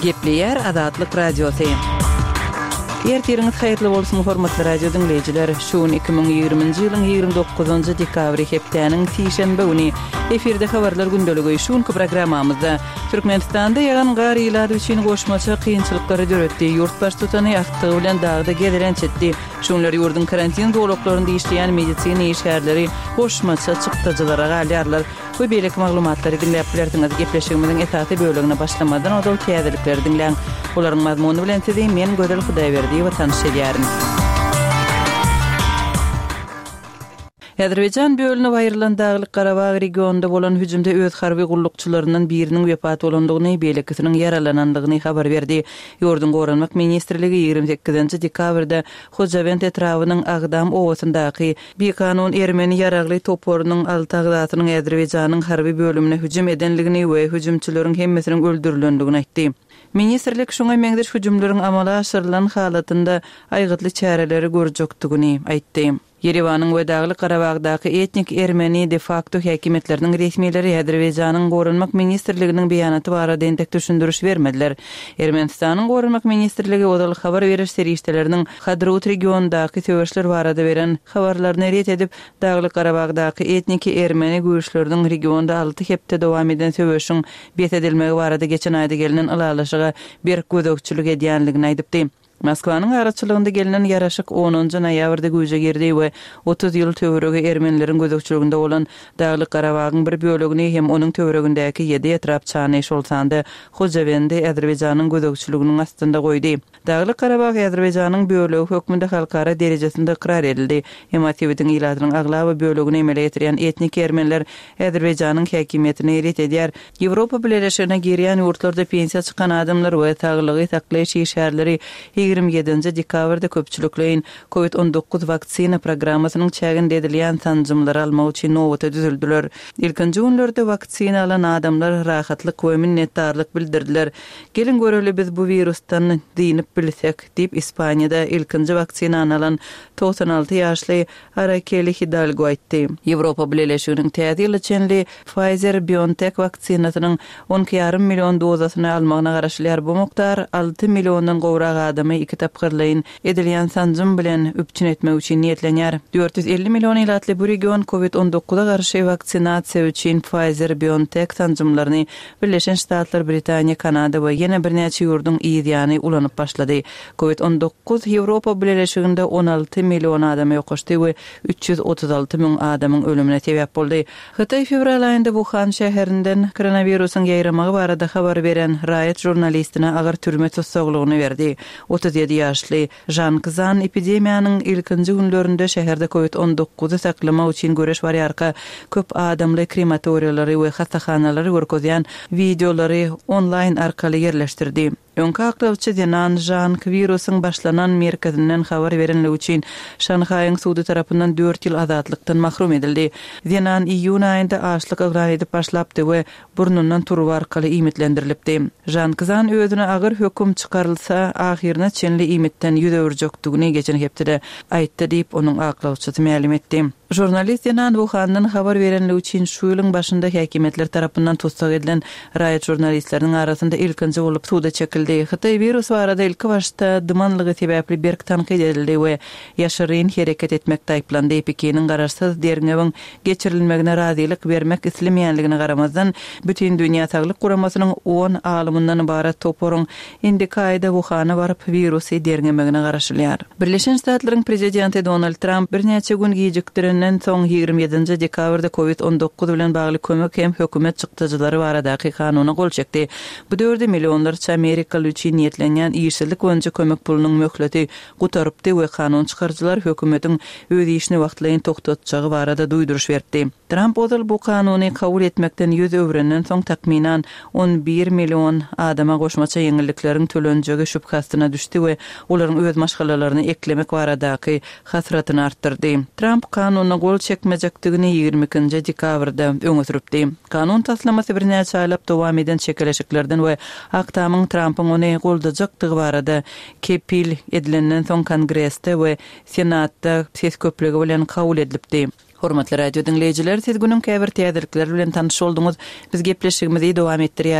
Gepleýär Azatlyk Radiosy. Ertiriňiz haýyrly bolsun, hormatly radio diňleýjiler! Şu gün 2020-nji ýylyň 29-njy dekabry hepdäniň sişenbe güni. Efirde habarlar gündeligi. Şu günki programmamyzda Türkmenistanda ýagan gar ilat üçin goşmaça kynçylyklary döretdi. Ýurt baştutany agtygy bilen dagda gezelenç etdi. Şu günler ýurduň karantin zolaklarynda işleýän medisina işgärleri goşmaça çykdajylara galýarlar we beýleki maglumatlary diňläp bilersiňiz. Gepleşigimiziň esasy bölegine başlamazdan ozal täzelikleri diňläň. Olaryň mazmuny bilen sizi men Gözel Hudaýberdiýewa tanyş edýärin. Azerbaýjan bölünip aýrylan Daglyk-Garabag regionynda bolan hüjümde öz harby gullukçylaryndan biriniň wepat bolandygyny, beýlekisiniň ýaralanandygyny habar berdi. Ýurduň Goranmak ministrligi 28 nji dekabrda Hojawend etrabynyň Agdam obasyndaky bikanun ermeni ýaragly toparynyň alty agzasynyň Azerbaýjanyň harby bölümine hüjüm edendigini we hüjümçileriň hemmesiniň öldürilendigini aýtdy. Ministrlik şuňa meňzeş hüjümleriň amala aşyrylan halatynda aýgytly çäreleri görjekdigini aýtdy. Ýerewanyň we Daglyk-Garabagdaky etnik ermeni de-fakto häkimiýetleriniň resmileri Azerbaýjanyň Goranmak ministrliginiň beýanaty barada entek düşündiriş bermediler. Ermenistanyň Goranmak ministrligi ozal habar beriş serişdeleriniň Hadrut regionyndaky söweşler barada beren habarlaryny ret edip, Daglyk-Garabagdaky etniki ermeni güýçleriniň regionda alty hepde dowam eden söweşiň bes edilmegi barada geçen aýda gelnen ylalaşyga berk gözegçilik edýänligini aýdypdy. Moskwanyň araçylygynda gelnen ýaraşyk onunjy noýabrda güýje girdi we 30 ýyl töweregi ermenileriň gözegçiliginde bolan Daglyk Garabagyň bir bölegini hem onuň töweregindäki ýedi etrapçany, şol sanda Hojawendi Azerbaýjanyň gözegçiliginiň astynda goýdy. Daglyk Garabag Azerbaýjanyň bölegi hökmünde halkara derejesinde ykrar edildi. Emma sebitiň ilatynyň aglaba bölegini emele getirýän etnik ermeniler Azerbaýjanyň häkimiýetini ret edýär. Ýewropa Bileleşigine girýän ýurtlarda pensiýa çykan adamlar we saglygy saklaýyş işgärleri 27-nji dekabrda köpçülikleýin Covid 19 waksina programmasynyň çäginde edilýän sanjymlary almak üçin nobata düzüldiler. Ilkinji günlerde waksina alan adamlar rahatlyk we minnetdarlyk bildirdiler. Geliň göreli biz bu wirusdan dynyp bilsek, diýip Ispaniýada ilkinji waksinany alan 96 ýaşly Arakeli Hidalgo aýtdy. Ýewropa Bileleşiginiň täze ýyla çenli Pfizer-BioNTech waksinasynyň on iki ýarym million dozasyny almagyna garaşylýar. Bu mukdar alty milliondan gowrak adamy iki tapgyrlaýyn edilýän sanjym bilen üpjün etmek üçin niýetlenýär. 450 million ilatly bu region Covid 19-a garşy waksinasiýa üçin Pfizer-BioNTech sanjymlaryny Birleşen Ştatlar, Britaniýa, Kanada we ýene birnäçe ýurduň yz ýany ulanyp başlady. Covid 19 Ýewropa Bileleşiginde 16 million adama ýokaşdy we 336 müň adamyň ölümine sebäp boldy. Hytaý fewral aýynda Wuhan şäherinden koronawirusyň ýaýramagy barada habar beren raýat žurnalistine agyr türme tussaglygyny berdi. 37 ýaşly Žang Zan epidemiýanyň ilkinji günlerinde şäherde Covid 19-y saklamak üçin göreş barýarka köp adamly krematoriýalary we hassahanalary görkezýän wideolary onlaýn arkaly ýerleşdirdi. Öňki aklawçy zenan Žang wirusyň başlanan merkezinden habar berenligi üçin Şanhaýyň sudy tarapyndan dört ýyl azatlykdan mahrum edildi. Zenan iýun aýynda açlyk yglan edip başlapdy we burnundan turba arkaly iýmitlendirilipdi. Žan Kzan özüne agyr höküm çykarylsa, ahyryna çenli iýmitden ýüz öwürjekdigini geçen hepdede aýtdy diýip, onuň aklawçysy mälim etdi. Žurnalist zenan Wuhandan habar berenligi üçin şu ýylyň başynda häkimiýetler tarapyndan tussag edilen raýat žurnalistleriniň arasynda ilkinji bolup suda çekildi. Hytaý wirus barada ilkibaşda dymanlygy sebäpli berk tankyt edildi we ýaşyryn hereket etmekde aýyplandy. Pekiniň garaşsyz derňewiň geçirilmegine razylyk bermek islemeýänligine garamazdan, Bütindünýä Saglyk Guramasynyň on alymyndan ybarat toparyň indiki aýda Wuhana baryp, wirusy derňemegine garaşylýar. Birleşen Ştatlaryň Prezidenti Donald Tramp birnäçe gün gijikdirenden soň, 27-nji dekabrda Covid 19 bilen bagly kömek hem hökümet çykdajylary baradaky kanuna gol çekdi. Bu döwürde millionlarça amerikaly üçin niýetlenýän işsizlik boýunça kömek pulunyň möhleti gutarypdy we kanun çykaryjylar hökümetiň öz işini wagtlaýyn togtatjagy barada duýduryş beripdi. Tramp ozal bu kanuny kabul etmekden ýüz öwrenden soň takmynan 11 million adama goşmaça ýeňillikleriň tölenjegi şübhe astyna düşdi we olaryň öz maşgalalaryny eklemek baradaky hasratyny artdyrdy. Tramp kanuna gol çekmejekdigini 22-nji dekabrda öňe sürüpdi. Kanun taslamasy birnäçe aýlap dowam eden çekeleşiklerden we Ak Tamyň Trampyň ony goldajakdygy barada kepil edilenden soň Kongresde we Senatda ses köplügi bilen kabul edilipdi. Hormatly radio diňleýjiler, siz günüň käbir täzelikleri bilen tanyş bolduňyz. Biz gepleşigimizi dowam etdirýäris.